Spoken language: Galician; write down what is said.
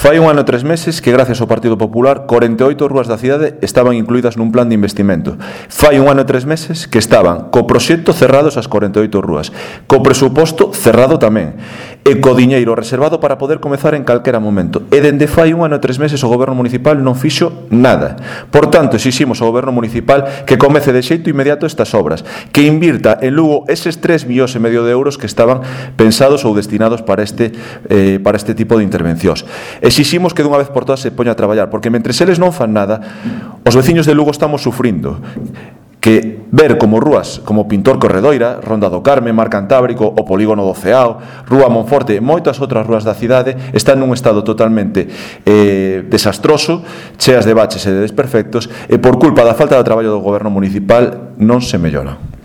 Fai un ano e 3 meses que, gracias ao Partido Popular, 48 rúas da cidade estaban incluídas nun plan de investimento. Fai un ano e 3 meses que estaban co proxecto cerrados as 48 rúas, co presuposto cerrado tamén, e co diñeiro reservado para poder comezar en calquera momento. E dende fai un ano e 3 meses o Goberno Municipal non fixo nada. Por tanto, exiximos ao Goberno Municipal que comece de xeito inmediato estas obras, que invirta en Lugo eses 3,5 millóns de euros que estaban pensados ou destinados para este tipo de intervencións. Exiximos que dunha vez por todas se poña a traballar, porque mentre eles non fan nada, os veciños de Lugo estamos sufrindo que ver como rúas como Pintor Corredoira, Ronda do Carme, Mar Cantábrico, o Polígono do Ceao, Rúa Monforte e moitas outras rúas da cidade están nun estado totalmente desastroso, cheas de baches e de desperfectos, e por culpa da falta de traballo do Goberno Municipal non se mellora.